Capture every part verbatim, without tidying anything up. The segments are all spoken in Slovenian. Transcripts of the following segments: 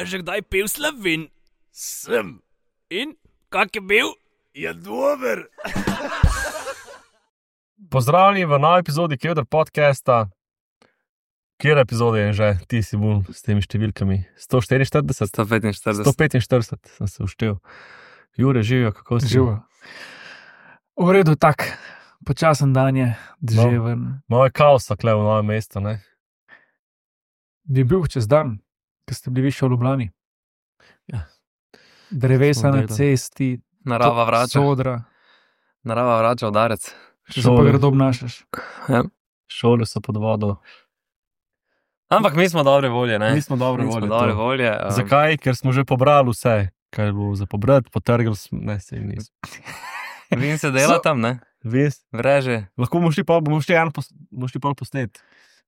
že kdaj pil Slovin? Sem. In? Kak je bil? Je dober. Pozdravljeni v novi epizodi Kevdr podcasta. Kjer epizode je že? Ti si bil s temi številkami. sto štiriinštirideset? sto petinštirideset. sto petinštirideset sem se uštel. Jure, živijo, kako si? Živijo. V redu, tak. Počasen dan je, deževen. Malo je kaosa kle v novem mestu, ne? Je bil čez dan, ko ste bili više v Ljubljani. Ja. Drevesa na Smo delali. cesti, Narava vrača. sodra. Narava vrača udarec. Če se pa Šole. grdo obnašaš. Šole so pod vodo. Ampak mi smo dobre volje, ne? Mi smo dobre Mi smo volje. dobre to. volje. Um, Zakaj? Ker smo že pobrali vse, kaj je bilo za pobrati, potrgali smo, ne, sej nismo. Vin se dela So- tam, ne? Ves, Vreže. lahko bomo šli pa, bomo šli eno, pos, bomo šli pol posnet.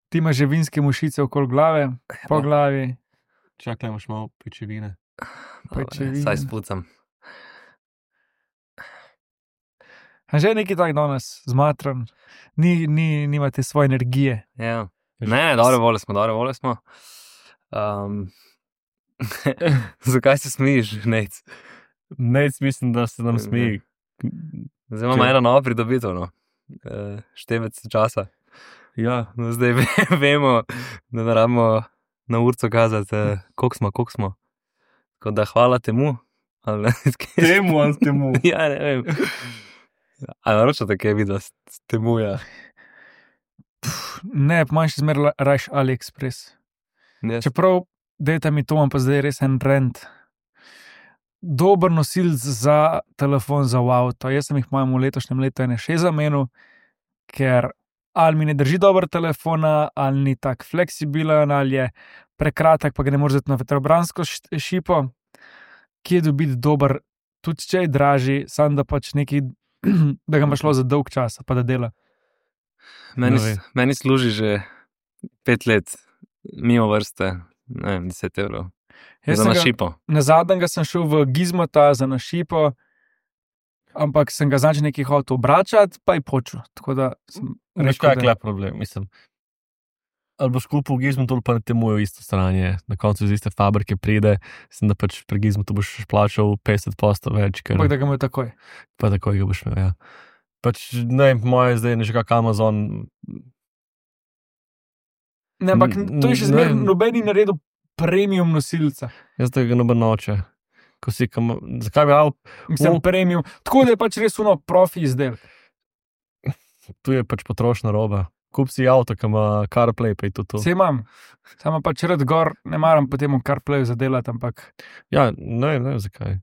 Ti imaš že vinske mušice okoli glave, po glavi. Čakaj, imaš malo pečevine. Pajčevine. Saj spucam. A že neki tak danes zmatran, ni, ni, nimate svoje energije. Ja. Ne, ne, dobre volje smo, dobre volje smo. Um, zakaj se smijiš, Nec? Nec, mislim, da se nam smeji. Zdaj imamo Če- eno novo pridobitev, no. Uh, števec časa. Ja, No, zdaj ve, vemo, da ne rabimo na urco kazati, uh, koliko smo, koliko smo. Tako da hvala temu. Ali ne, temu ali temu. Ja, ne vem. A naročate kaj vidva s s temu, ja. Ne, manjši zmer rajš AliExpress. Jaz, Čeprav, dajte mi to, imam pa zdaj res en rent. Dober nosilc za telefon za v avto. Jaz sem jih imam v letošnjem letu ene še zamenil, ker ali mi ne drži dober telefona, ali ni tak fleksibilen, ali je prekratek, pa ga ne moreš vzeti na vetrobransko š- šipo. Kje dobiti dober, tudi če je dražji, sam da pač neki, da ga ima šlo za dolg čas, pa da dela. meni, ne vem. meni služi že pet let, mimo vrste, ne vem, deset evrov. Jaz Za sem na ga- šipo. Na zadnjega sem šel v Gizmota za našipo, ampak sem ga znači nekaj hotel obračati, pa je počel. Tako da sem Veš, rekel, kaj je da- kle problem, mislim. Ali boš kupil v Gizmotu, ali pa ne temujo isto stranje. Na koncu iz iste fabrike pride, mislim, da pač pri Gizmotu boš plačal petdeset posto več, ker ampak da ga imajo takoj. pa takoj ga boš imel, ja. Pač, ne vem, po moje zdaj je že kak Amazon. Ne, ampak N- to je še ne zmeraj vem. nobeni naredil premium nosilca. Jaz da ga noben noče. Ko si, kam, zakaj bi rad, Mislim, O. premium. Tako da je pač res uno profi izdelek. tu je pač potrošna roba. Kup si avto, ki ima CarPlay, pa je to to. Vse imam. Samo pač red gor, ne maram potem v CarPlayu zadelati, ampak Ja, ne, ne vem zakaj.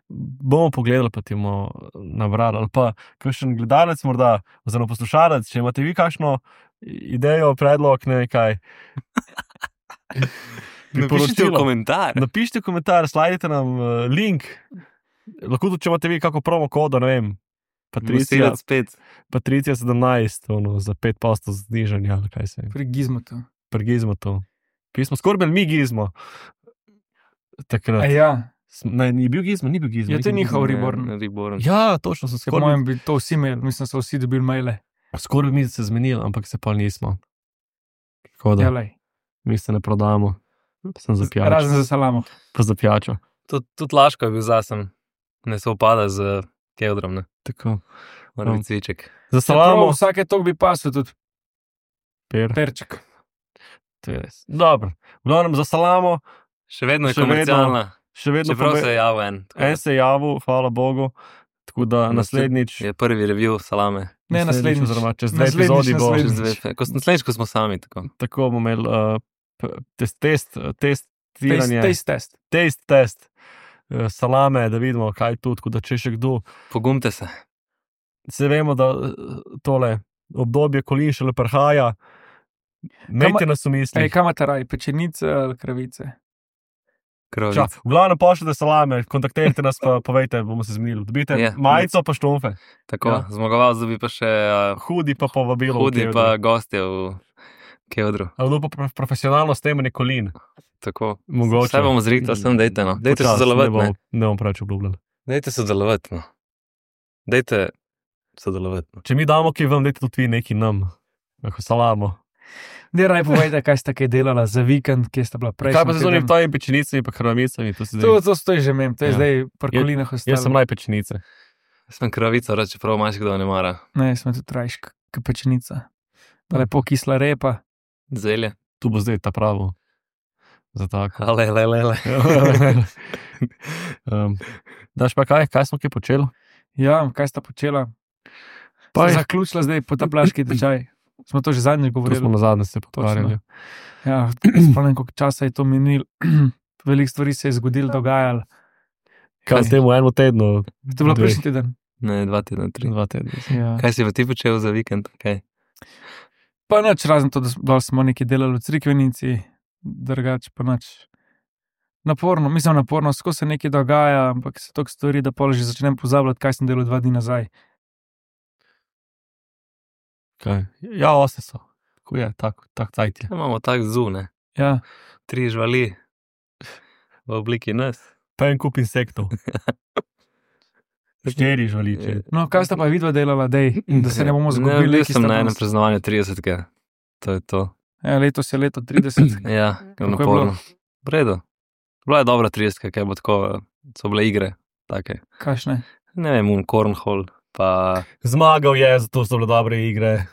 Bomo pogledali, pa ti bomo nabrali. Ali pa kakšen gledalec, morda, oziroma poslušalec, če imate vi kakšno idejo, predlog, ne vem kaj. Napišite v Priporočilo. komentar. Napišite komentar, slajdite nam uh, link. Lahko tudi, če imate vi kako promo kodo, ne vem. Patricija, Nosilec spet. Patricija sedemnajst, ono, za pet posto znižanja, ali kaj se je. pri Gizmotu. Prgizmo to. Pismo, skoraj mi gizmo. Takrat. A ja, Sm- Ne, ni bil gizmo, ni bil gizmo. Ja, ni to je bil njihov Gizmo. Reborn. Ne, Reborn. Ja, točno sem po skoraj. mojem bi to vsi imeli, mislim, so vsi dobili maile. Skoraj bi mi se zmenili, ampak se pa nismo. Tako da, Ja, lej. mi se ne prodamo. Sem za pijačo. Razen za salamo. Pa za pijačo. Tudi tud Laško je bil zasem. Ne se upada z Kevdrom, ne. Tako. Mora No. biti cviček. Za Salamo. salamo. Vsake tok bi pasel tudi Per. perček. To je res. Dobro. V glavnem za salamo, Še vedno je Še vedno. komercialna. še vedno Čeprav pobe- se je javil en. tako da en se je javil, hvala Bogu. Tako da naslednjič. Je prvi review salame. Ne, naslednjič. Oziroma čez dve Naslednjič, epizodi bo. naslednjič. Čez dve, ko, naslednjič, ko smo sami. Tako. Tako bomo imeli uh, p- test, test, Taste, testiranje. taste test. Test, test. uh, Salame, da vidimo, kaj je tu. Tako da če še kdo. Pogumte se. Se vemo, da eh, tole obdobje kolin šele prihaja. Imejte nas v Ej, mislih. kam imate raj, pečenice ali kravice? Krovic. Ča, v glavnem pošljite salame, kontaktirajte nas, pa povejte, bomo se zmenili. Dobite Ja. majico, pa štumfe. Tako, Ja. ja. Zmagovalec dobi pa še uh, Hudi pa povabilo. v hudi Kevdru. pa gostje v Kevdru. Ali bo pa pro- profesionalno stemanje kolin. Tako. Mogoče. Vse bomo zrihta, sem dejte no. Dejte Počasi, sodelovati, Ne ne. bomo, ne bomo preveč obljubljali. Dejte sodelovati, no. Dejte sodelovati. No. Če mi damo, ki vam dajte tudi vi neki nam. Lahko salamo. Ne, raj povejte, kaj ste kaj delala za vikend, kje ste bila prej. Kaj pa se z onim tvojim pečenicami pa krvavicami? To, To, to stoji že mem, to je Ja. zdaj parkolinah Jaz sem ostalo. naj pečenice. Sem kravica, reče prav, maš kdo ne mara. Ne, smo tudi rajška pečenica. Pa lepo kisla repa. Zelje. Tu bo zdaj ta pravo. Za tako. Ale, le, le, le. um, daš pa kaj, kaj smo kaj počeli? Ja, kaj sta počela? Pa je- Zaključila zdaj potapljaški tečaj. Smo to že zadnjič To govorili. smo na zadnje se pogovarjali. Ja, spomnim, koliko časa je to minil. Veliko stvari se je zgodilo, dogajalo. Kaj s tem v enem tednu? To je bilo Dve. prejšnji teden. Ne, dva tedna, tri. Dva tedna. Ja. Kaj si pa ti počel za vikend? Kaj? Pa nič, razen to, da s- dol smo nekaj delali v Crikvenici, drugače pa nič. Naporno, mislim naporno, skozi se nekaj dogaja, ampak se toliko stvari, da pol že začnem pozabljati, kaj sem delal dva dni nazaj. Kaj? Ja, ose so. Tako je, tako, tako cajt je. Ja, imamo tak zu, ne? Ja, Tri žvali v obliki nas. Pa en kup insektov. Štiri žvaliče. no, kaj sta pa vidva delala, dej, da se ne bomo Ne, zgubili. bil ki sem sta na enem danes- praznovanju tridesetega. To je to. Ja, letos je leto trideset. Ja, Kako je naporno. V redu. Bila je dobra tridesetka, kaj bo tako, so bile igre, take. Kašne? Ne vem, un cornhole, pa Zmagal je, zato so bile dobre igre.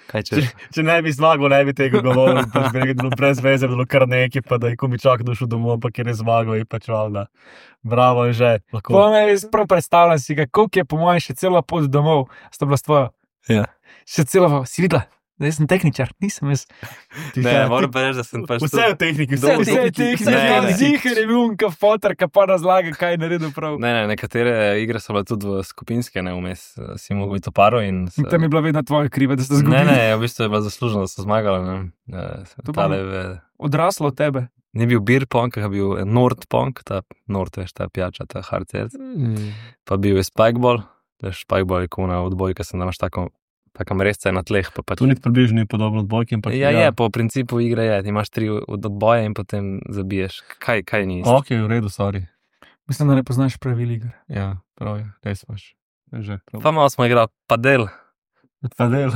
kaj Če, češ. če ne bi zmagal, ne bi tega govoril. Pač bi rekel, da je bilo brez veze, bilo kar nekaj, pa da je komičak došel domov, ampak ker je zmagal, je pač valjda. Bravo, je že. Lahko. Po me res prav predstavljam si ga, koliko je po mojem še cela pot domov, sta bila s tvojo. Ja. Še cela, pot. Si videla, da jaz sem tehničar, nisem jaz. Ne, moram pa reči, da sem pač Vse je v tehniki, vse je v Vse je tehniki. tehniki, Ne, ne. zihar je bil unka fotor, ki pa razlaga, kaj je naredil prav. Ne, ne, nekatere igre so bile tudi v skupinske, ne vmes, si mogel biti v paru in... In tam je bila vedno tvoja kriva, da ste Ne, zgubili. ne, v bistvu je bila zaslužena, da so zmagali. Ne. To pa Tale, me- v- Odraslo od tebe. ni bil beer pong, je bil Nord pong, ta Nord, veš, ta pijača, ta hard seltzer. Mm. Pa bil je spikeball, veš, spikeball je kot na odbojka, sem imaš tako, taka mrezca na tleh. Pa pač, Tu ni približno ni podobno odbojki, ampak ja, je, po principu igre je, ti imaš tri od odboja in potem zabiješ. Kaj, kaj ni isto? Ok, v redu, sorry. Mislim, da ne poznaš pravil igre. Ja, prav je, res imaš. Že, prav. Pa malo smo igrali padel, Pa del.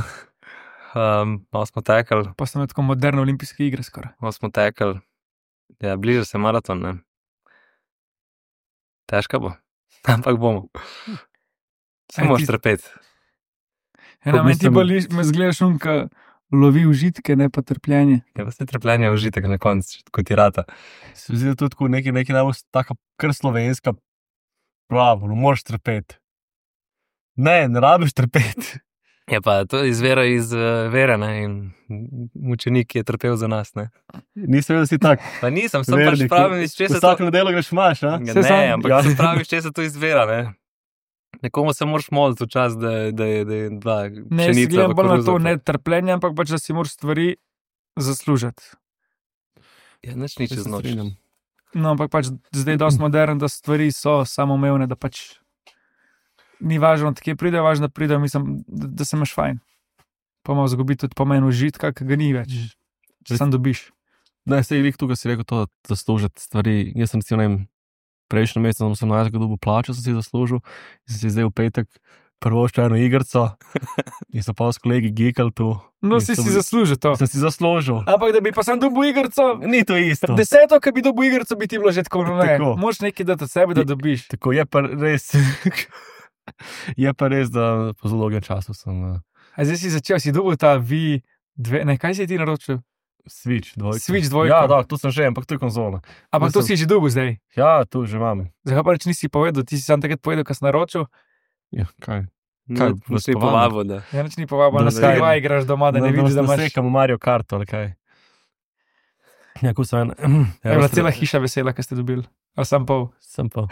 um, malo smo tekli, Pa so tako moderne olimpijske igre skoraj. malo smo tekli. Ja, bliža se maraton, ne. Težko bo, ampak bomo. Aj, Samo ti- štrpeti. Ena, meni ti mislim- boli, me zgledaš unka, lovi užitke, ne pa trpljenje. Ja, pa se trpljenje je užitek na koncu, kot ti rata. Se mi zdi, da tudi tako nekaj, nekaj najbolj taka kar slovenska, pravo, no moraš trpeti. Ne, ne rabiš trpeti. Je pa to izvira iz uh, vere, ne, in mučenik je trpel za nas, ne. Nisem vedel, da si tak. Pa nisem, sem pač pravim, iz česa to... Vsako nedeljo greš maš, a? Ja, Se ne, sam- ampak ja. ja. sem pravi, iz česa to izvira, ne. Nekomu se moraš moliti včasih, da, da, je- da je dva Ne, jaz pšenica gledam v bolj na koruzo, to, pa- ne trpljenje, ampak pač, da si moraš stvari zaslužiti. Ja, nič ni čez noč. No, ampak pač zdaj je dosti modern, da stvari so samoumevne, da pač ni važno, od kje pride, važno, da pride, mislim, da, da se imaš fajn. Pa malo zgubi tudi pomen užitka, ki ga ni več, če sam dobiš. Ne, se je tukaj si rekel to, da zaslužiti stvari. Jaz sem recimo, ne vem, prejšnji mesec, sem osemnajstega dobil plačo, sem si zaslužil in sem si zdaj v petek prvo še eno igrico in so pa s kolegi gikali tu. No, In si sem- si zaslužil to. Sem si zaslužil. Ampak da bi pa sam dobil igrico, Ni to isto. deseto, ki bi dobil igrico, bi ti bilo že tako, no ne. Tako. Moš nekaj dati od sebe, da dobiš. Tako je pa res. Je pa res, da po zelo dolgem času sem uh, A zdaj si začel, si dobil ta V dve, ne, kaj si ti naročil? Switch dvojka. Switch dvojko. Ja, da, tu sem že, ampak to je konzola. Ampak to sem- si že dobil zdaj. Ja, tu že imam. Zakaj pa reč nisi povedal, ti si sam takrat povedal, ko si naročil, Ja, kaj? Kaj, Kaj, vas si povabim? povabil, da. ja nič ni povabil, Da na ne Sky vem. igraš doma, da ne vidiš, da imaš. Sekamo Mario Kart ali kaj. Ja, ko sem en. Je bila cela hiša vesela, ko ste dobili. Ali sam pol. Sem pa.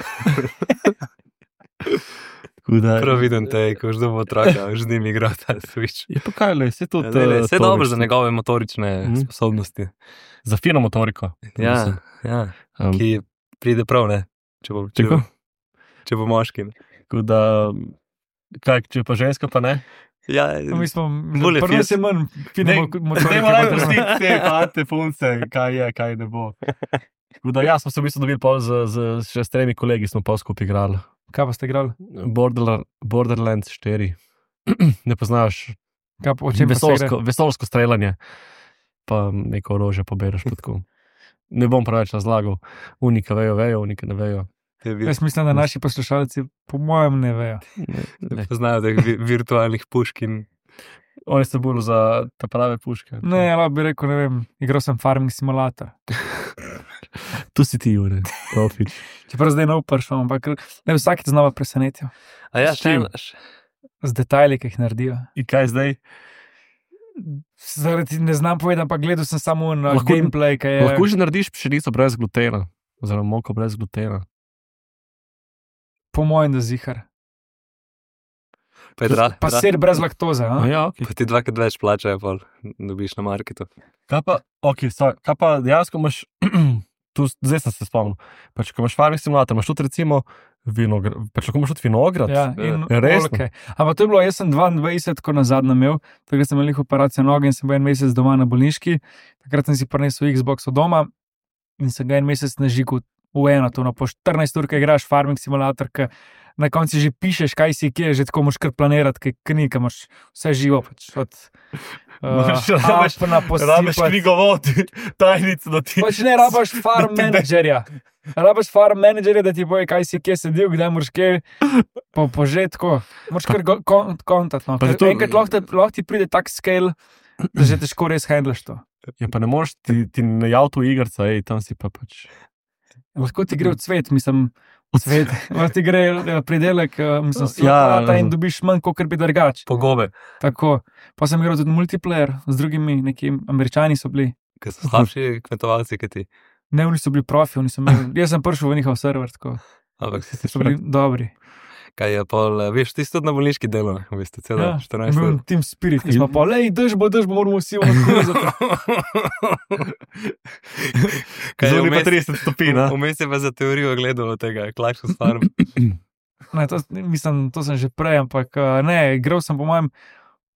Tako da- Prav vidim te, ko že dobo otroka, že z njim igra ta Switch. Je pa kaj, le, se tudi. Ja, ne, ne, eh, Vse to dobro veš, za njegove motorične Mhm. sposobnosti. Za fino motoriko. Ja, Mislim. ja. Um, Ki pride prav, ne? Če bo, če Tako? bo, če bo moški. ne. Tako da, kaj, če pa ženska, pa ne. Ja, No, mi smo, Bolj je prvo Fiat. se manj fino Ne, motorike. Ne morem pa to- pustiti te fante, punce, kaj je, kaj ne bo. Tako da, ja, smo se v bistvu dobili pol z, z še s tremi kolegi, smo pa skupaj igrali. Kaj pa ste igrali? Borderla- Borderlands štiri. Ne poznaš? Kaj pa, o čem pa se gre? Vesolsko, vesolsko streljanje, pa neko orožje pobereš pa tako. Ne bom preveč razlagal, unika vejo, vejo, unika ne vejo. Jaz mislim, da naši poslušalci po mojem ne vejo. Ne, ne. Poznajo teh vi- virtualnih puškin. Oni so bolj za te prave puške. Ne, lahko bi rekel, ne vem, igral sem Farming Simulator. Tu si ti, Jure, profič. Čeprav zdaj nov prišel, ampak ne vsakič znova presenetijo. A ja, S čim? še Z detajli, ki jih naredijo. In kaj zdaj? Zaradi ne znam povedati, ampak gledal sem samo na Lahko- gameplay, ki je. Lahko že narediš pšenico brez glutena, oziroma moko brez glutena. Po mojem, da zihar. pa je dra, Pa dra, sir brez laktoze. A A? ja, ok. pa ti dvakrat več plačajo, pol dobiš na marketu. Kaj pa, ok, sorry, kaj pa dejansko imaš, tu, zdaj sem se spomnil, pač ko imaš farming simulator, imaš tudi recimo vinograd, pač lahko imaš tudi vinograd. Ja, in Ja, resno? oljke. Ampak to je bilo, jaz sem dvaindvajset, ko nazadnje imel, takrat sem imel jih operacijo noge in sem bil en mesec doma na bolniški. Takrat sem si prinesel Xbox od doma in sem ga en mesec nažigel v eno, to no, po štirinajst ur, ki igraš farming simulator, ki na koncu že pišeš, kaj si kje, že tako moš kar planirati, kaj ni, kaj imaš vse živo. Pač, od, Moraš- uh, rabiš- Alpna Rabiš posipati. knjigovod, tajnico, da ti... Pač ne rabaš farm Da ti ne- menedžerja. Rabaš farm menedžerja, da ti boje, kaj si kje sedel, kdaj moraš kje po, požetko. Moraš kar go- kon- kontakt. No. Pa Ker to- Enkrat lahko, te- lahko ti pride tak scale, da že težko res handlaš to. Ja, pa ne moreš, ti, ti ne jav tu igrca, ej, tam si pa pač... Lahko ti gre v cvet, mislim, cvet. Lahko ti gre eh, pridelek, eh, mislim, Ja, slata in dobiš manj, kot bi drugač. Pogobe, Tako. Pa sem igral tudi multiplayer z drugimi, nekimi američani so bili. ki so slabši kmetovalci, kot ti. Ne, oni so bili profi, oni so imeli. Jaz sem prišel v njihov server, tako. Ampak So bili dobri. kaj je pol, eh, veš, ti si tudi na bolniški delo, v bistvu, celo Ja, štirinajst bil ur. Team Spirit, ki smo pa, lej, drž bo, drž bo, moramo vsi odkuzati. Kaj je Zunaj pa vmes- trideset stopinj, a? Vmes je pa za teorijo gledal tega, Clash Farm. Ne, to, mislim, to sem že prej, ampak eh, ne, igral sem po mojem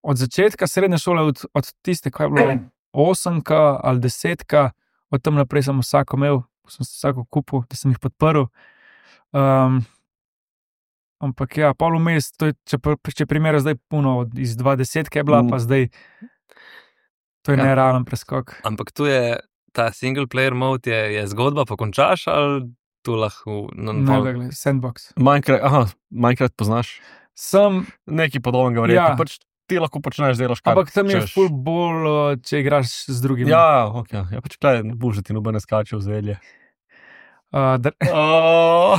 od začetka srednje šole, od, od tiste, ko je bilo osemka ali desetka, od tam naprej sem vsako imel, sem se vsako kupil, da sem jih podprl. Um, ampak ja, pol vmes, to je, če, pr- če primerjam zdaj puno, od- iz dva deset, ki je bila, Mm. pa zdaj, to je Ja. nerealen preskok. Ampak tu je ta single player mode, je, je zgodba, pa končaš ali tu lahko na Ne, pol- glej, sandbox. Minecraft, aha, Minecraft poznaš? Sem, Nekaj podobnega verjetno. Ja. Pač ti lahko počneš, delaš kar ampak tam je hočeš. ful bolj, eh, če igraš z drugimi. Ja, ok, ja, pač kaj, ne boš, da ti noben ne skače v zelje. Uh, dr- Oh.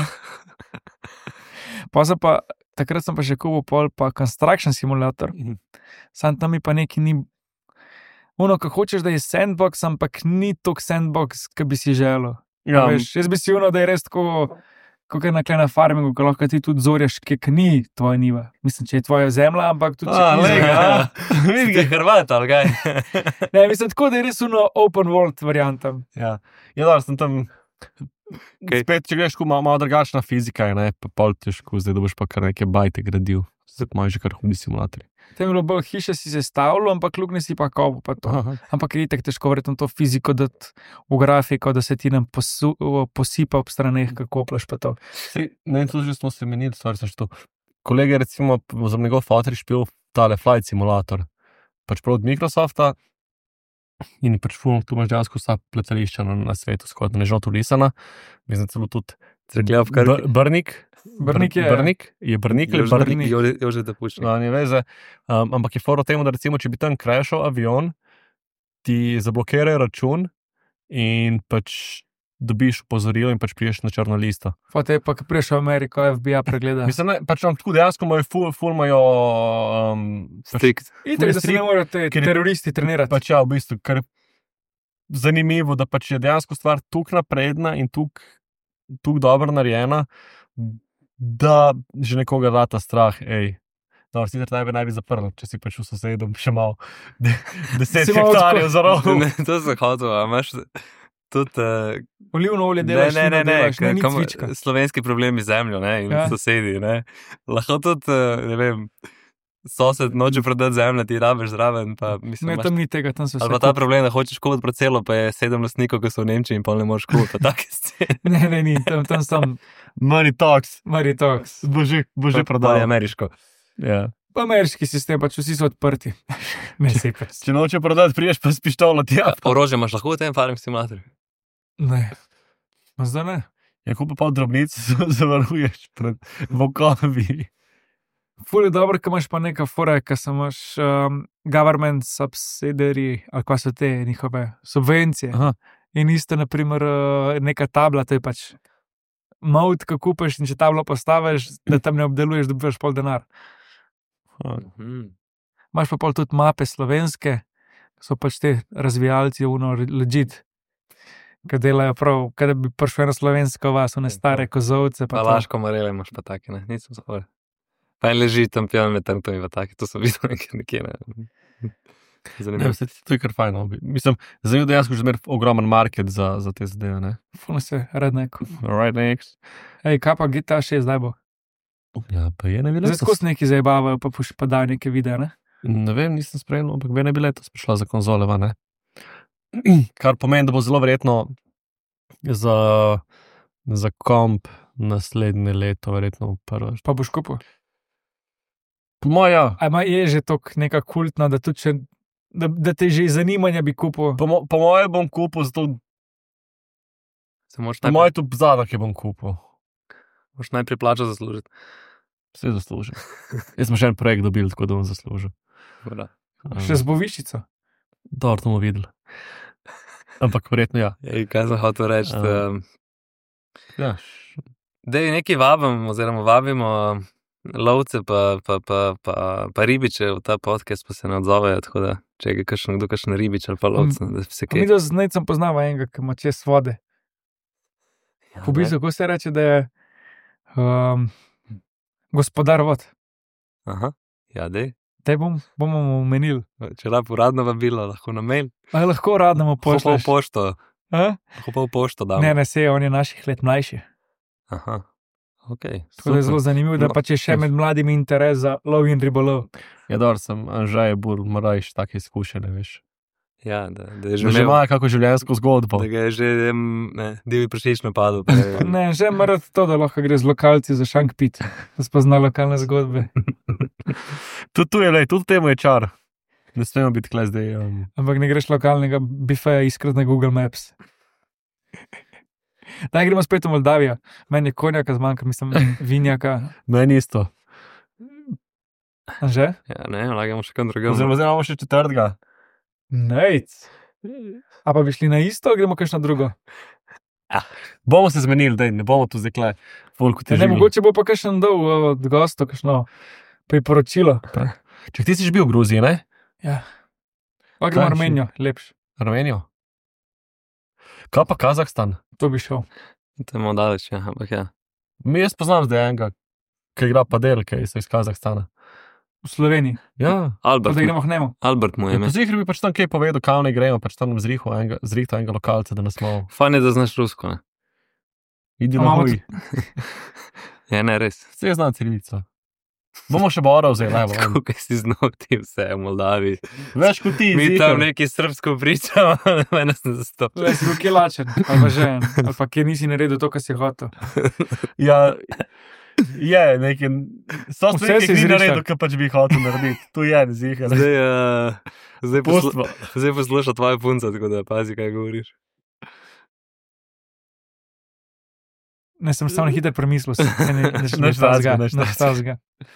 Pa sem pa, takrat sem pa še kupil pol, pa Construction Simulator. Mhm. Sam tam mi pa neki ni. Ono, ko hočeš, da je sandbox, ampak ni tok sandbox, ki bi si želel. Ja, Veš, jaz bi si ono, da je res tako, kot je na klej na farmingu, ko lahko ti tudi zorjaš, ki ni tvoja niva. Mislim, če je tvoja zemlja, ampak tudi če a, ni lej ga, zemlja. ja. Vidi Ti ga. je Hrvat, ali kaj? Ne, mislim, tako da je res ono open world varianta. Ja, ja da, sem tam. Kaj? Spet, če greš, malo, malo drugačna fizika je, ne, pa pol težko, zdaj da boš pa kar neke bajte gradil. Zdaj pa imaš že kar hudi simulatorji. Tem je bilo bolj hiše si sestavljal, ampak luknje si pa kopo. Pa to. Aha. Ampak je itak težko verjetno to fiziko dati v grafiko, da se ti nam posu, posipa ob straneh, kako plaš pa to. Sej, ne, tudi že smo se menili, stvar sem što. Kolega je recimo za njegov fotor špil tale flight simulator, pač prav od Microsofta in je pač ful, tu imaš dejansko vsa letališča na, na svetu, skoraj ne žal turisana, mislim celo tudi Cerkljav, kar Br- Brnik, Brnik je- Brnik, je Brnik ali Brnik, je že da pušča. no, ni veze, um, ampak je fora v tem, da recimo, če bi tam crashal avion, ti zablokirajo račun in pač dobiš opozorilo in pač priješ na črno listo. Potem pa, ko priješ v Ameriko, F B I pregleda. Mislim, ne, pač on tako dejansko imajo ful, ful imajo um, pač, Strikt. Itak, da se strik- ne morejo te ker je- teroristi trenirati. pač ja, v bistvu, kar je zanimivo, da pač je dejansko stvar tukaj napredna in tukaj dobro narejena, da že nekoga rata strah, hej. No, sicer naj bi naj bi zaprl, če si pač v sosedu še malo de, deset Si malo hektarjev tako- za rovo. Ne, to sem hotel, a imaš tudi. Uh, Olivno olje ne, delaš, ne, ne, vino ne, delaš, ne, ni kam- cvička. slovenski problemi z zemljo, ne, in Ja. ja. sosedi, ne. Lahko tudi, uh, ne vem, sosed noče prodati zemljo, ti rabiš zraven, pa mislim, Ne, imaš- tam ni tega, tam so vse. ali pa ta kup- problem, da hočeš kupiti parcelo, pa je sedem lastnikov, ki so v Nemčiji in pa ne moreš kupiti, pa take scene. Ne, ne, ni, tam, tam sem Money talks, Maritox. bo že, bo že Pa je prodal. ameriško. Ja. Ameriški sistem, pač vsi so odprti. Ne, sej pa. Če noče prodati, priješ pa s pištolo tja. Orožje imaš lahko v tem farming simulatorju? Ne. Ma zdaj ne. Ja, ko pa pol drobnic zavaruješ pred vokovi. Ful je dobro, ko imaš pa neka fora, ko se imaš um, government subsidiary, ali kva so te njihove subvencije. Aha. In isto, naprimer, uh, neka tabla, to je pač mod, ko kupiš in če tablo postaviš, da tam ne obdeluješ, dobiš pol denar. Mhm. Imaš pa pol tudi mape slovenske, so pač te razvijalci, uno legit, ki delajo prav, kada bi prišel na slovensko vas, one stare kozovce. Pa Laško Marele imaš pa take, ne? Nisem zahoval. Pa en leži tam pijan med tem, to je pa take, to sem videl nekaj, nekje, ne? Ne, Zanimivo. vse ti to je kar fajn. No. Mislim, zanimivo dejansko že zmer ogromen market za, za te zadeve, ne? Fulno se redneck. Alright, next. Ej, kaj pa G T A šest zdaj bo? Ja, pa je ne bi Zdaj letos. skozi neki zabavajo, pa puš pa dajo neke videe, ne? Ne vem, nisem spremljal, ampak bi ne bi letos prišla za konzole, va, ne? Kar pomeni, da bo zelo verjetno za, za komp naslednje leto, verjetno prvo. Pa boš kupil. Po moja, A ima je že tok neka kultna, da tudi če, da, da te že iz zanimanja bi kupil. po, mo, po moje bom kupil, zato Se moraš po najprej, moje tudi zadok je bom kupil. moraš najprej plačo zaslužiti. Vse zaslužim. Jaz sem še en projekt dobil, tako da bom zaslužil. Dobra. Še z boviščico. Dobro, to bomo videli. Ampak verjetno ja. Ej, kaj sem hotel reči? A. Um, Ja, Dej nekaj vabim, oziroma vabimo lovce pa, pa, pa, pa, pa ribiče v ta podcast, pa se ne odzovejo, tako da če je kakšen, kdo kakšen ribič ali pa lovce, da se Mi kaj. do zdaj sem poznava enega, ki ima čez vode. Ja, V bistvu, kako se reče, da je um, gospodar vod. Aha, ja, dej. Te bom, bomo mu omenili. Če rab uradno vabilo, lahko na mail. Ali lahko radnemu Lahko pa v pošlješ? pošto, A? lahko pa v pošto dam. Ne, ne, se on je naših let mlajši. Aha, ok. Tako da je zelo zanimivo, da No, pa če še med mladimi interes za lov in ribolov. ja dobro, sem Anžaj Bur, moraš take izkušnje, veš. Ja, da, da je že Že, že imel, ima kako življenjsko zgodbo. da ga je že em, ne, divji prašič napadel. pa je- Ne, že mora to, da lahko gre z lokalci za šank pit, da spozna lokalne zgodbe. Tudi tu je, lej, tudi temu je čar. Ne smemo biti kle zdaj. Um, Ampak ne greš lokalnega bifeja iskati na Google Maps. Daj, gremo spet v Moldavijo. Meni je konjaka zmanjka, mislim, vinjaka. meni isto. Že? Ja, ne, lagamo še kam drugam. Oziroma, zdaj imamo še četrtega. Nejc. A pa bi šli na isto, ali gremo kakšno drugo? Bomo se zmenili, da ne bomo tu zdaj kle. Folku Ja, ne, mogoče bo pa kakšen dol od gostov, kakšno priporočilo. Če ti si že bil v Gruziji, ne? Ja. Pa gremo Kaj si? Armenijo, lepš. Armenijo. Kaj pa Kazahstan? To bi šel. To je malo daleč, ja, ampak ja. Mi jaz poznam zdaj enega, ki igra padel, ki je iz Kazahstana. V Sloveniji. Ja, Pa Albert, da gremo k njemu. Albert mu je ja ime. zihri bi pač tam kaj povedal, kam ne gremo, pač tam zrihto enega, zrihto enega lokalca, da nas malo Fajn je, da znaš rusko, ne? idi A na imamo huj. Ja, ne, res. Vse znam cirilico. Bomo še bora vzeli, evo. en. Kako si znal ti vse v Moldaviji? Več kot ti, Mi ziher. tam neki srbsko pričamo, da me nas ne zastopi. Le si bil kje lačen, ali pa že en, ali pa kje nisi naredil to, kar si hotel. Ja, je nekaj. So Vse stvari, si ki si izrišal. naredil, kar pač bi hotel narediti. Tu je, ziher. Zdaj, uh, zdaj, poslu, Pustvo. zdaj posluša tvoja punca, tako da pazi, kaj govoriš. Ne, sem samo na hitro premislil, se ne, ne, ne, Nič takega, ne, nič ne, takega. ne,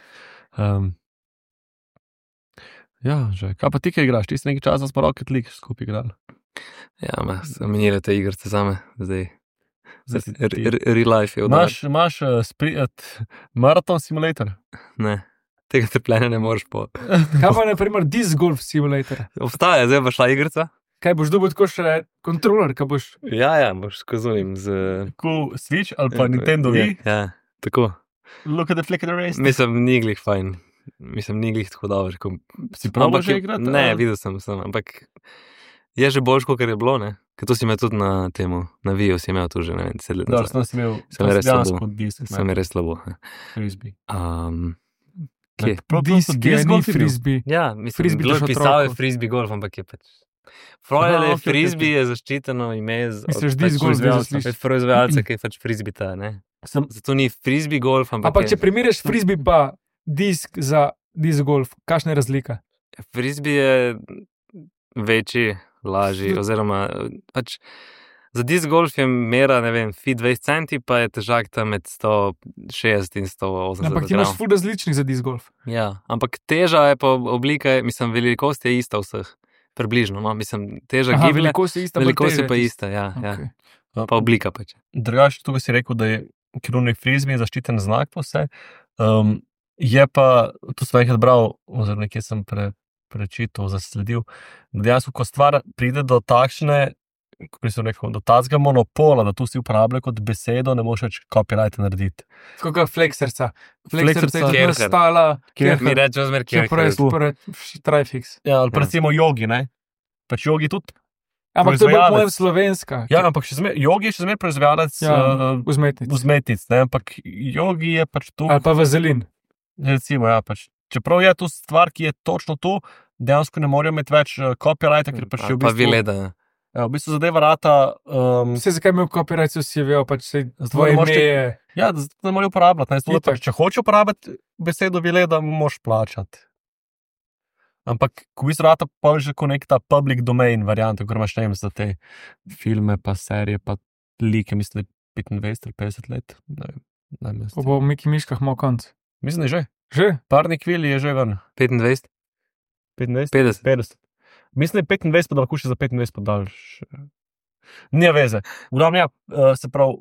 Um, ja, že. Kaj pa ti, kaj igraš? Ti si nekaj časa s Rocket League skupaj igral. Ja, ma, menile te igrice same, zdaj. Zdaj si R- ti- r- Real life je odar. Imaš, imaš uh, spri, uh, maraton simulator? Ne, tega trpljenja ne moreš po. Kaj pa je, na primer, Disc Golf Simulator? Obstaja, zdaj pa šla igrica. Kaj boš dobil tako še kontroler, kaj boš? Ja, ja, boš skozujem z... Cool Switch ali pa Nintendo Ja, Wii? ja, tako. Look at the flick of the race. Mislim, ni glih fajn. Mislim, ni glih tako dobro. Ko... Si prav Ampak že je- igrati? Ne, ali? videl sem, sem, ampak je že boljš, kot je bilo, ne? Ker to si imel tudi na temu, na Viju si imel tu že, ne vem, deset let Dobro, nazaj. sem si imel Sem tam si res dejansko slabo. disk. Sem je res slabo. ne. Frisbee. Um, Kje? Prav to Disk so je, disc ni golf je bil. frisbee. Ja, mislim, Frisbee bilo daš je pisal je otroku. frisbee golf, ampak je pač. Freud Aha, je okej, frisbee, okej, je zaščiteno ime z Misliš, od disc pač golf, da proizvajalca, zaslišiš? od proizvajalca, ki je pač frisbee ta, ne? Sem, Zato ni frisbee golf, ampak Ampak je, če primerjaš frisbee pa disk za disc golf, kakšna je razlika? Frisbee je večji, lažji, oziroma pač za disc golf je mera, ne vem, fi dvajset centi, pa je težak tam med sto šestdeset in sto osemdeset. Ampak ti imaš ful različnih za disc golf. Ja, ampak teža je pa oblika, mislim, velikost je ista vseh. Približno, no, mislim, teža Aha, gibelja, velikost je ista, velikost je teža pa je ista, ja, Okay. ja. Pa oblika pač. Drugače, tukaj si rekel, da je kirurnik frisbee zaščiten znak pa vse. Um, je pa, to sem enkrat bral, oziroma nekje sem pre, prečital, zasledil, da dejansko, ko stvar pride do takšne, kako bi se rekel, do tazga monopola, da tu si uporablja kot besedo, ne moš več copyright narediti. Kako je flexerca? Flexerca, Flexerca je Kerher. nastala, Mi rečemo zmer, ki čeprav je je super, trifix. Ja, ali pa Ja. recimo jogi, ne? Pač jogi tudi. Ampak to je bolj Proizvajalec. pojem slovenska. Ja, ampak še zmer, jogi je še zmer proizvajalec Ja, uh, vzmetnic. vzmetnic, ne? Ampak jogi je pač tu, Ali pa vazelin. recimo, ja, pač. Čeprav je to stvar, ki je točno tu, dejansko ne morejo imeti več uh, copyrighta, ker pač je v Pa bistvu... vileda. Ja, v bistvu zadeva rata. Um, Vse zakaj imel copyright, so si vejo, pač se Zato tvoje ne moreš ime ti- je. ja, da zato ne morejo uporabljati. Ne? Zato, da Itak. pač, če hoče uporabiti besedo vileda, mu moraš plačati. Ampak, ko v bistvu rata pa že kot nek ta public domain variant, ko imaš ne vem za te filme, pa serije, pa like, mislim, da je petindvajset ali petdeset let. Ne vem, ne vem. Ko bo v Miki Miškah imel konc. Mislim, da je že. Že? Parni kvili je že ven. petindvajset, petindvajset? petdeset. petdeset. Mislim, da je petindvajset, pa da lahko še za petindvajset podaljš. Nija veze. V glavnem, ja, eh, se pravi,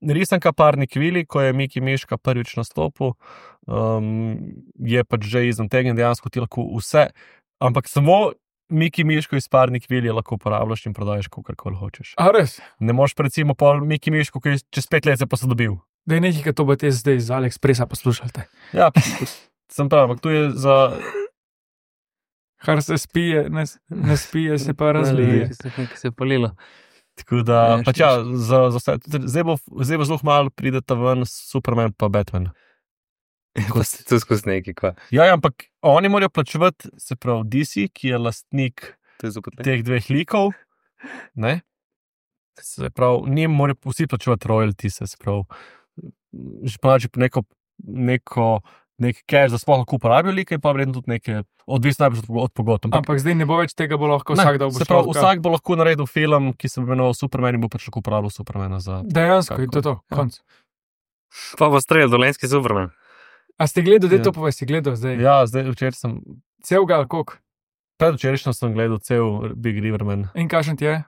risanka Parni kvili, ko je Miki Miška prvič nastopil, um, je pač že izantegnjen, dejansko ti lahko vse, ampak samo Miki Miško iz Parni kvili lahko uporabljaš in prodajaš, kakorkoli hočeš. A res? Ne moreš pa recimo pol Miki Miško, ki je čez pet let se posodobil. Da je nekaj, kar to bo te zdaj z AliExpressa poslušate. Ja, sem prav, ampak tu je za... Kar se spije, ne, ne spije, se pa razlije. Nekaj se je polilo. Tako da, Ja, pač ja, za, za vse. Zdaj bo, zdaj bo zelo malo prideta ven Superman pa Batman. Pa se tu skozi nekaj, kva. Ja, ja, ampak oni morajo plačevati, se pravi, D C, ki je lastnik To je zopet teh dveh likov. Ne? Se pravi, njim morajo vsi plačevati royalties, se pravi, že plačati neko, neko, nek cash, da sploh lahko uporabijo like in pa vredno tudi neke, odvisno najbolj od, od pogodb. Ampak, Ampak zdaj ne bo več tega, bo lahko ne, vsak dal se pravi, vsak bo lahko naredil film, ki se bo imenoval Superman in bo pač lahko uporabljal Supermana za... Dejansko, in to je to, Ja. konc. Pa bo strelil dolenski Superman. A ste gledali, da je Ja. to povej, si gledal zdaj? Ja, zdaj včeraj sem, Cel gal, koliko? predvčerajšnjem sem gledal cel Big Riverman. In kakšen ti je?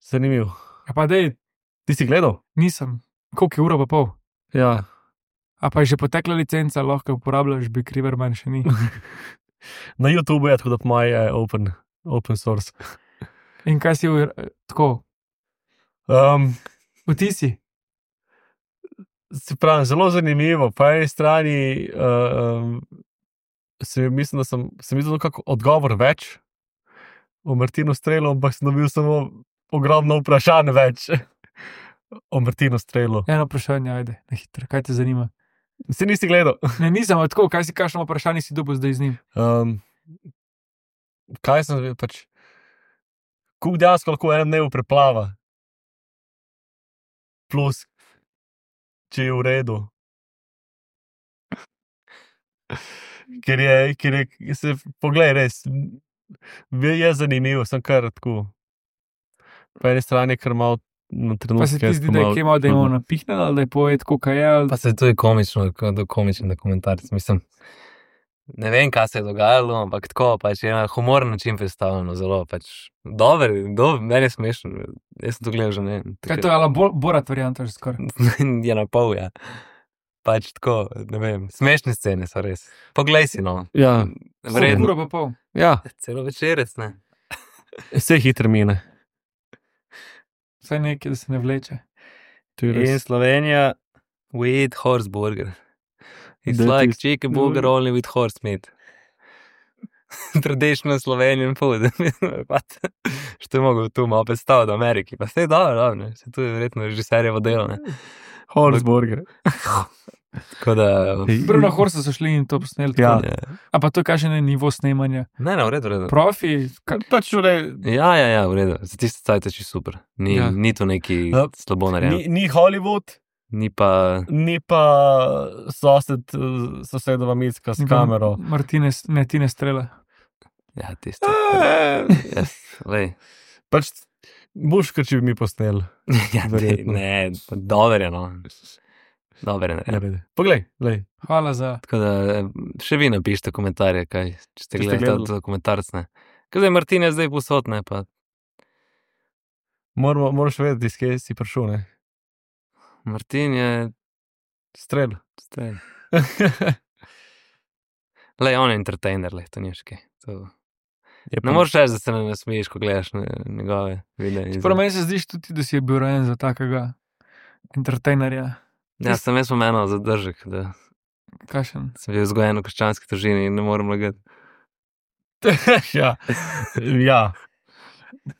Zanimiv. Ja pa dej, Ti si gledal? nisem. Koliko je ura pa pol? Ja. A pa je že potekla licenca, lahko uporabljaš Big Riverman, še ni. Na YouTubu je tako, da moj je open, open source. In kaj si v, tako, Um, vtisi? se pravi, zelo zanimivo. Po eni strani uh, um, se, mislim, da sem, sem videl kako odgovor več o Martinu Strelu, ampak sem dobil samo ogromno vprašanj več o Martinu Strelu. Eno vprašanje, ajde, na hitro, kaj te zanima? Si nisi gledal? Ne, nisem, a tako, kaj si, kakšno vprašanje si dobil zdaj z njim? Um, kaj sem pač, koliko dejansko lahko v enem dnevu preplava? Plus, če je v redu. Ker je, ker je, se poglej, res, je zanimivo, sem kar tako. Po eni strani, ker malo na Pa trenutke. se ti zdi, da je kje malo, da je imel napihnjen, ali da je pojet, kako je, ali Pa se to je komično, do komičen dokumentarc. Mislim, ne vem, kaj se je dogajalo, ampak tako, pač je na humoren način predstavljeno, zelo pač dober, dober, meni je smešen. Jaz sem to gledal že ne vem. kaj to je, ali bo, borat varianta že skoraj. je na pol, ja. Pač tako, ne vem, smešne scene so res. Poglej si, no. Ja, Vredno. Ura pa pol. ja, Celo večerec, ne. vse hitro mine. Vsaj nekaj, da se ne vleče. To je In res. Slovenija, we eat horse burger. It's That like is- chicken burger only with horse meat. Traditional Slovenian food. What? Što je mogel tu malo predstaviti v Ameriki. Pa vse je dobro, dobro, ne. Se tu je verjetno režiserjevo delo, ne. Horseburger. Tako da... Prvo na Horse so šli in to posneli. Ja. tako. Ja. A pa to je kakšen je nivo snemanja. Ne, ne, v redu, v redu. Profi, ka, Pač ure, Ja, ja, ja, v redu. Za tiste cajt je čisto super. Ni, Ja. ni to neki Ja. slabo narejeno. ni, ni Hollywood, Ni pa... Ni pa sosed, sosedova Micka s kamero. Martinez, ne, Tine Strele. Ja, tisto. Jaz, lej. Pač boš, ker če bi mi posneli. Ja, ne, Verjetno. ne, dober je, no. Dober je, ne. Naredi. Poglej, lej. Hvala za. Tako da eh, še vi napišite komentarje, kaj, če ste Če ste gledali gledali. ta dokumentarc, ne. Kaj zdaj Martin je zdaj posod, ne, pa Moramo, moraš vedeti, iz kje si prišel, ne? Martin je... Strel. Staj. Lej, on je entertainer, lej, to ni še kaj. To... Je Ne moreš reči, da se ne nasmeješ, ko gledaš ne, njegove videe. Čeprav meni se zdiš tudi, da si je bil rojen za takega entertainerja. Ja, sem jaz pomenil zadržek, da Kakšen? sem bil vzgojen v krščanski družini in ne morem lagati. ja. ja.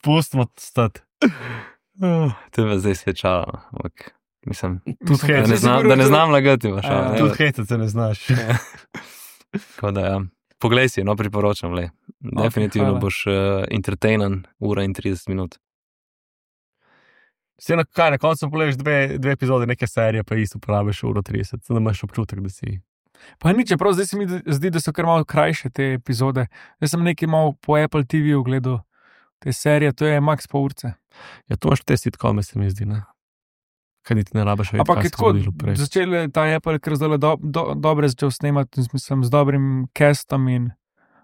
Pustimo stati. To je pa zdaj svečalo, ampak mislim, Tudi da hec. ne znam, da ne znam lagati, pa Ja, šal. Tudi hecati se ne znaš. Tako da, ja. Poglej si, no, priporočam, le. Definitivno hvala. boš uh, entertainen ura in trideset minut. Se na kaj, na koncu pogledaš dve, dve epizode neke serije, pa isto porabiš uro trideset, da imaš občutek, da si... Pa ni, čeprav zdaj se mi zdi, da so kar malo krajše te epizode. Jaz sem nekaj malo po Apple T V ogledal te serije, to je max pol urce. Ja, to imaš te sitkome, se mi zdi, ne? Kaj niti ne rabiš vedeti, Ampak kaj je se tako, zgodilo prej. začel je ta Apple kar zdaj do, do, dobre začel snemati, mislim, z dobrim castom in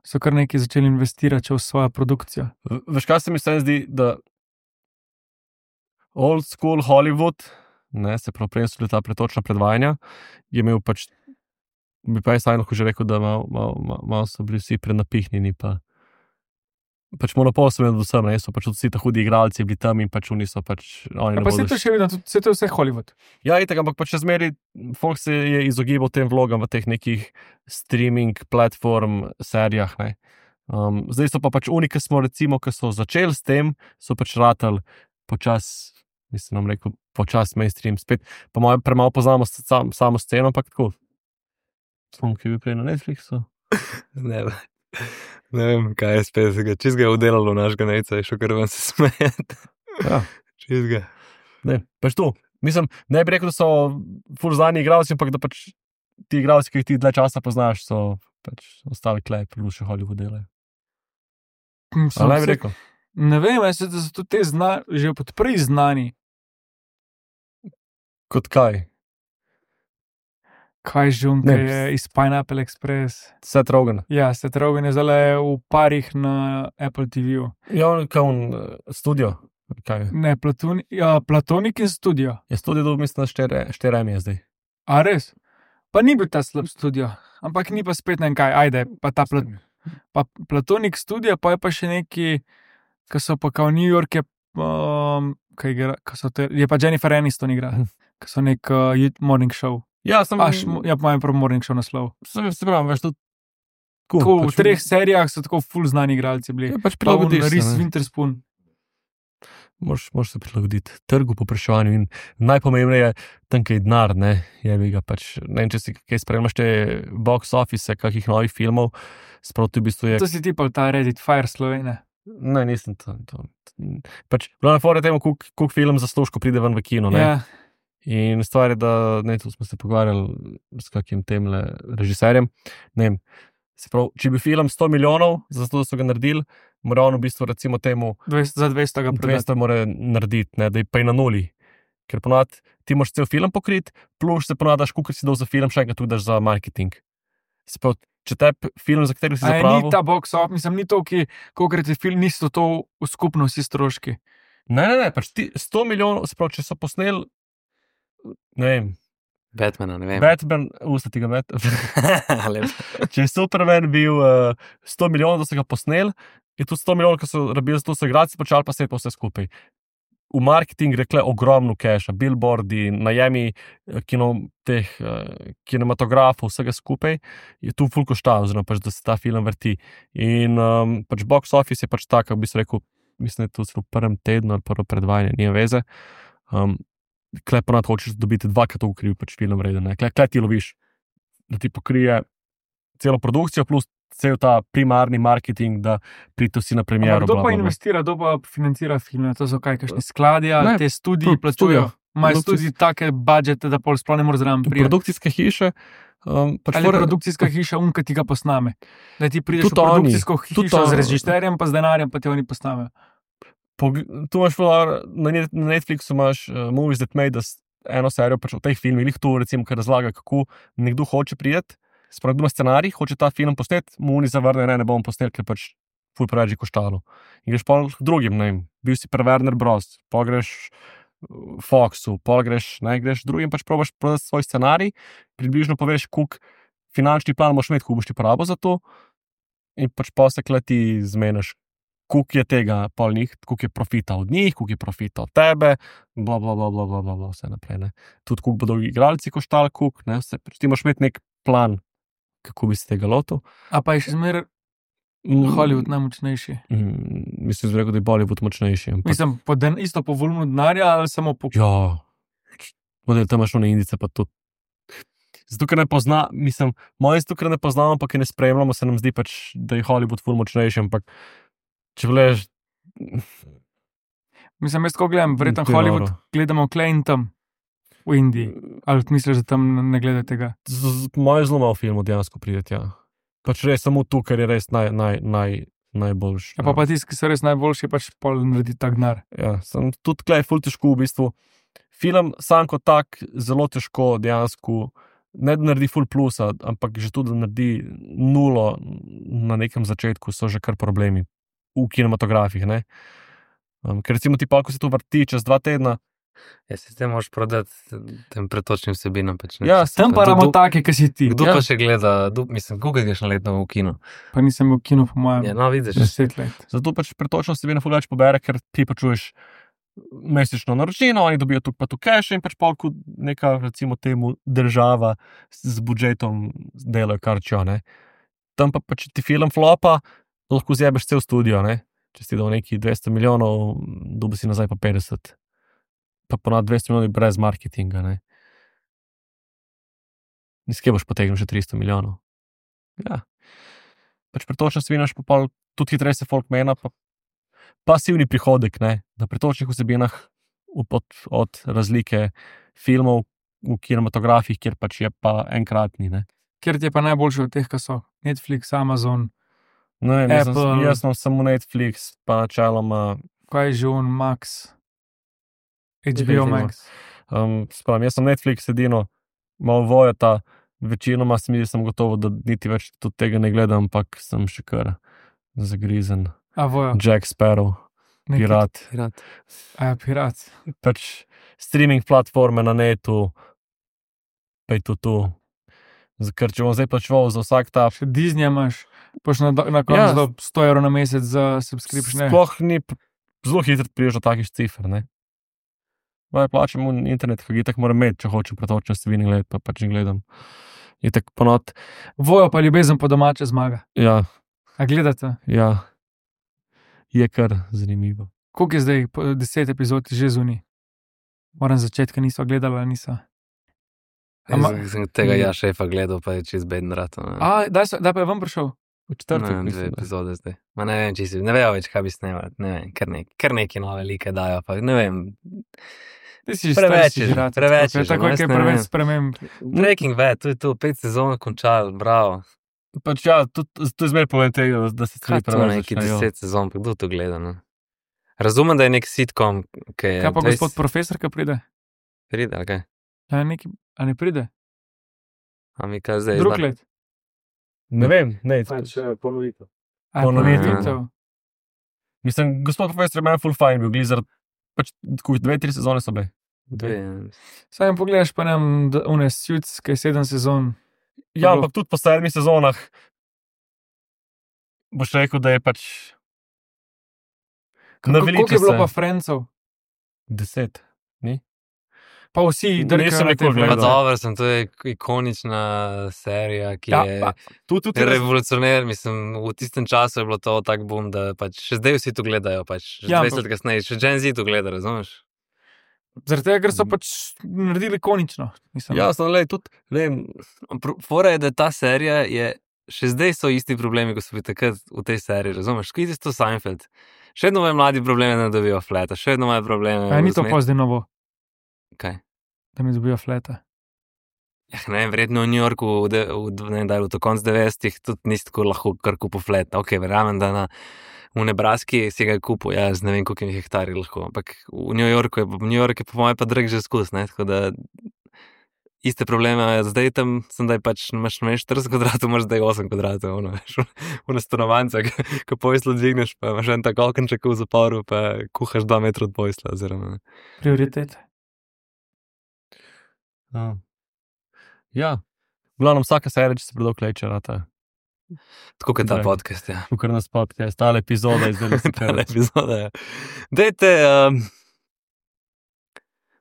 so kar nekaj začeli investirati v svojo produkcijo. V- Veš, kaj se mi vsem zdi, da old school Hollywood, ne, se pravi, prej so bili ta pretočna predvajanja, je imel pač, bi pa jaz saj lahko že rekel, da malo mal, mal, mal so bili vsi prenapihnjeni, pa pač monopol so imeli vsem, ne, so pač vsi ta hudi igralci bili tam in pač oni so pač, oni Ja, ne pa se bodo to še vedno, se to je vse Hollywood. Ja, itak, ampak pač še zmeri, folk se je izogibal tem vlogam v teh nekih streaming platform serijah, ne. Um, zdaj so pa pač oni, ki smo recimo, ki so začeli s tem, so pač ratali počas, mislim, nam rekel, počas mainstream spet, pa malo, premalo poznamo s- sam, samo sceno, ampak tako. Smo, ki bi prej na Netflixu. Ne, ne vem, kaj je spet, ga čist ga je udelalo našega nejca, je šel kar ven se smejati. Ja, Čist ga. ne, pač to. Mislim, ne bi rekel, da so ful znani igralci, ampak da pač ti igralci, ki jih ti dlje časa poznaš, so pač ostali klej, plus še Hollywood delajo. So Ali ne bi vse- rekel? Ne vem, jaz se, da so tudi te zna, že od prej znani. Kot kaj? Kaj že on, Ne, ki je iz Pineapple Express. Seth Rogen. Ja, Seth Rogen je zdaj v parih na Apple T V-ju. Ja, on kao on uh, studio. Kaj? Ne, Platoni, ja, Platonik in studio. Je studio dobil, mislim, štiri eme je zdaj. A res? Pa ni bil ta slab studio, ampak ni pa spet ne vem kaj, ajde, pa ta plat, pa Platonik studio, pa je pa še neki, ki so pa kao New York, je, um, kaj igra, ki so te, je pa Jennifer Aniston igra, ki so nek uh, youth morning show. Ja, sem, Aš, ja, pa imam prav morning show naslov. sem, se pravim, veš, tudi cool, Tako, pač, v treh serijah so tako full znani igralci bili. Ja, pač Pa on, prilagodiš se, Reese ne. Witherspoon. Moraš, moraš se prilagoditi trgu, popraševanju in najpomembneje, tam, kaj je denar, ne, je bi ga pač, ne vem, če si kaj spremljaš te box office, kakih novih filmov, sproti v bistvu je, To si ti pa ta Reddit Fire Slovene. ne, nisem to, to pač, glavne fore temu, koliko film zasluž, ko pride ven v kino, ne. Ja, In stvar je, da ne, tu smo se pogovarjali s kakim temle režiserjem. Ne vem, se pravi, če bi film sto milijonov, zato da so ga naredili, mora on v bistvu recimo temu dvesto, za dvesto ga prodati. dvesto mora narediti, ne, da je pa je na nuli. Ker ponad ti moraš cel film pokriti, plus se ponadaš, koliko si dal za film, še enkrat tudi daš za marketing. Se pravi, če te film, za katerega si A je, zapravil... ni ta box office, mislim, ni to, ki, kolikrat je film, niso to v skupno vsi stroški. Ne, ne, ne, pač ti sto milijonov, se pravi, če so posneli, ne vem, Batmana, ne vem. Batman, usta ti ga met. Lep. Če je Superman bil uh, sto milijonov, da so ga posneli, je tudi sto milijonov, ki so rabili za to, so igralci počali pa se pa vse skupaj. V marketing rekle ogromno keša, billboardi, najemi eh, kino, teh uh, kinematografov, vsega skupaj, je tu ful košta, oziroma pač, da se ta film vrti. In um, pač box office je pač tak, kako bi se rekel, mislim, da je to celo v prvem tednu ali prvo predvajanje, nima veze. Um, Klej ponad hočeš dobiti dvakrat toliko, ker je pač film vreden. ne. Klej, klej ti loviš, da ti pokrije celo produkcijo, plus cel ta primarni marketing, da pridete vsi na premiero. Ampak kdo bla, pa bla, bla. investira, kdo pa financira filme? To so kaj, kakšni skladi, ali Ne, te studije tu- plačujejo? Imajo produkcijs- tudi take budžete, da pol sploh ne moreš zraven priti. produkcijske hiše. Um, pač Ali je fora- produkcijska hiša unka, ti ga posname. Da ti prideš Tudi v oni, produkcijsko tudi hišo oni. z režiserjem, pa z denarjem, pa ti oni postavijo. Pog- Tu imaš fora, na net- na Netflixu imaš uh, Movies That Made Us, eno serijo pač o teh filmih, lih tu recimo, ki razlaga, kako nekdo hoče priti, sploh kdo ima scenarij, hoče ta film posneti, mu oni zavrne, ne, ne bom posnel, ker pač ful preveč je koštalo. In greš pa k drugim, ne vem, bil si pri Warner Bros., pa greš uh, Foxu, pa greš, ne, greš drugim, pač probaš prodati svoj scenarij, približno poveš, koliko finančni plan moš imeti, koliko boš ti porabo za to, in pač pa se kleti zmeniš, koliko je tega pol njih, koliko je profita od njih, koliko je profita od tebe, bla, bla, bla, bla, bla, bla, bla vse naprej. Ne. Tudi koliko bodo igralci koštali, koliko, ne, vse, pač ti moraš imeti nek plan, kako bi se tega lotil. A pa je še zmeraj Mm, Hollywood najmočnejši. mm, Mislim, da je rekel, da je Bollywood močnejši. Ampak, Mislim, po den, isto po volumnu denarja ali samo po. ja, model tam imaš one indice, pa tudi. Zato, ker ne pozna, mislim, moje zato, ker ne poznamo, pa ki ne spremljamo, se nam zdi pač, da je Hollywood ful močnejši, ampak če gledaš, Mislim, jaz tako gledam, verjetno To je Hollywood noro. gledamo klej in tam v Indiji. Ali misliš, da tam ne gleda tega? z- z- moje zelo malo filmov dejansko prideti, ja. Pač res samo tu, ker je res naj, naj, naj, najboljši. Ja, pa, pa tisti, ki so res najboljši, pač pol naredi tak denar. Ja, sem tudi tleh ful težko v bistvu. Film sam kot tak zelo težko dejansko, ne da naredi full plusa, ampak že tudi da naredi nulo na nekem začetku, so že kar problemi v kinematografih, ne. Um, ker recimo ti pa, ko se to vrti čez dva tedna, Ja, si te moraš prodati tem pretočnim vsebinam. Pač, ne. ja, Tam pa Kdo- imamo kdo- take, ki si ti. Kdo Ja. pa še gleda, kdo, mislim, koliko greš na letno v kino? Pa nisem bil v kinu, po mojem, Ja, no, vidiš. deset let. zato pač pretočno vsebina ful več pobere, ker ti pačuješ mesečno naročnino, oni dobijo tu pa tu cash in pač pol, ko neka, recimo temu, država z z budžetom delajo kar čo, ne. Tam pa pač ti film flopa, lahko zjebeš cel studio, ne. Če si dal neki dvesto milijonov, dobi si nazaj pa petdeset. Pa ponad dvesto milijonov brez marketinga, ne. Niskje boš potegnil še tristo milijonov. Ja. Pač pretočno vsebinaš pa pol, tudi hitreje se folk mena, pa pasivni prihodek, ne, na pretočnih vsebinah od, od razlike filmov v kinematografih, kjer pač je pa enkratni, ne. Ker ti je pa najboljši od teh, ki so Netflix, Amazon, No, vem, jaz, sem, Apple. jaz sem samo Netflix, pa načeloma, kaj je že on, Max, H B O H B O. Max. um, spravim, jaz sem Netflix edino, malo vojata, večinoma se mi zdi, sem gotovo, da niti več tudi tega ne gledam, ampak sem še kar zagrizen. A vojo, Jack Sparrow, neki- pirat. Pirat. A, pirat. Pač streaming platforme na netu, pa je to tu. Ker če bom zdaj plačeval za vsak ta, Še Disney imaš, paš na, na Ja. koncu do sto evrov na mesec za subscription. sploh ni, p- zelo hitro priješ do takih cifer, ne. Vaj plačam v internet, ki ga tako moram imeti, če hočem pretočne vsebine gledati, pa pač ne gledam. Je tako ponot, Vojo pa ljubezen po domače zmaga. ja, A gledate? ja, je kar zanimivo. Koliko je zdaj, po deset epizod je že zunaj? Moram začeti, ker niso gledali, ali niso. Ama- Jaz sem tega ja šefa gledal, pa je čez bedn rato. ne. A, daj, so, daj pa je ven prišel. V četrtek, Ne vem, dve mislim, da. epizode zdaj. Ma ne vem, če si, ne vejo več, kaj bi snemali. Ne vem, kar, nek, kar neki nove like dajo. Pa, ne vem. Ti si že Preveč star, si je že že, rad. preveč je že, Tako no, je, jaz kaj ne preveč vem. sprememb. Breaking Bad, to je to, pet sezon končal, bravo. Pač ja, to, to je zmer problem tega, da se Kaj stvari to preveč neki začnejo. deset sezon, pa kdo to gleda? Ne? Razumem, da je nek sitcom, ki je. Kaj pa dvajset gospod profesor, ki pride? Pride, ali kaj? A, neki, a ne pride? A mi kaj zdaj? Drug zna- let. Ne vem, ne, ponovitev. A, Ponovitev. ponovitev. mislim, gospod profesor je meni full fine bil, glizar, pač tako dve, tri sezone so bile. Dve. Saj jim pogledaš pa nam, da unes Suits, ki je sedem sezon. Ja, Bilo- ampak tudi po sedmih sezonah boš rekel, da je pač Kako koliko je bilo se. pa Francov? Deset. Pa vsi Nisem drkajo na te nikoli Pa gledal. Friendse. dobro, sem, to je ikonična serija, ki Ja, je pa, tu tudi revolucionar. Mislim, v tistem času je bilo to tak boom, da pač še zdaj vsi to gledajo. Pač, že Ja, dvajset let kasneje, še Gen Z to gleda, razumeš? Zaradi tega, ker so pač naredili ikonično. Mislim. Ja, samo le, tudi, ne vem, Pro- Fora je, da ta serija je, še zdaj so isti problemi, kot so bili takrat v tej seriji, razumeš? Skidi to Seinfeld. Še vedno imajo mladi probleme, da dobijo fleta, še vedno imajo probleme. A ni to usme- pa zdaj novo. Kaj? Da mi dobijo flete. Ja, ne, verjetno v New Yorku, v, de, v, ne, da, v koncu devetdesetih tudi nisi tako lahko kar kupil flet. Ok, verjamem, da na, v Nebraski si ga kupil, ja, z ne vem, koliko hektarji lahko. Ampak v New Yorku je, v New Yorku je po mojem pa drag že skus, ne, tako da iste probleme, zdaj tam sem, da je pač, imaš štirideset kvadratov, imaš zdaj osem kvadratov, ono, veš, v stanovanjce, ko pojslo dvigneš, pa imaš en tak okenček v zaporu, pa kuhaš dva metra od pojsla, oziroma. Prioritete. Ja. Ja, v glavnem vsaka serija, če se predolg leče, rata. Tako kot ta Drag. podcast, ja. Kukor nas podcast, ta epizoda je zdaj se Tale epizoda, ja. Dajte um,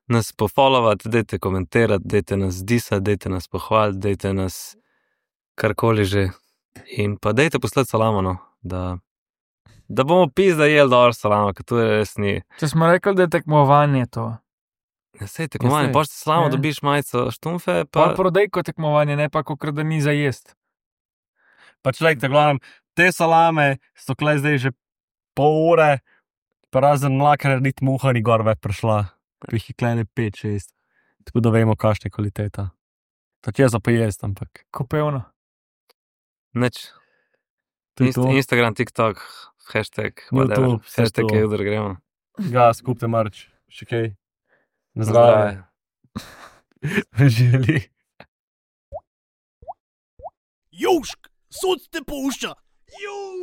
nas pofollowati, dajte komentirati, dajte nas disati, dajte nas pohvaliti, dajte nas karkoli že. In pa dajte poslati salamo, no, da, da bomo pizda jeli dobro salamo, ker to je res ni. Če smo rekli, da je tekmovanje to. Ja, sej tekmovanje, sej. pošte salamo, Ja. dobiš majico štumfe, Pa pa prodejko tekmovanje, ne pa kakor da ni za jest. Pač lejk, da glavnem, te salame so kle zdaj že pol ure, pa razen mlaka narediti muha ni gor več prišla. Pa jih je klene pet, šest. Tako da vemo, kakšna je kvaliteta. Pač je za pojest, ampak. Kopevno. nič. To je Inst, to. Instagram, TikTok, hashtag, whatever, YouTube, vse hashtag to. je udar gremo. Ga, skupte marč. Še kaj. Na Na zdravje. zdravje. Želi. Južk, sod te pušča. Južk.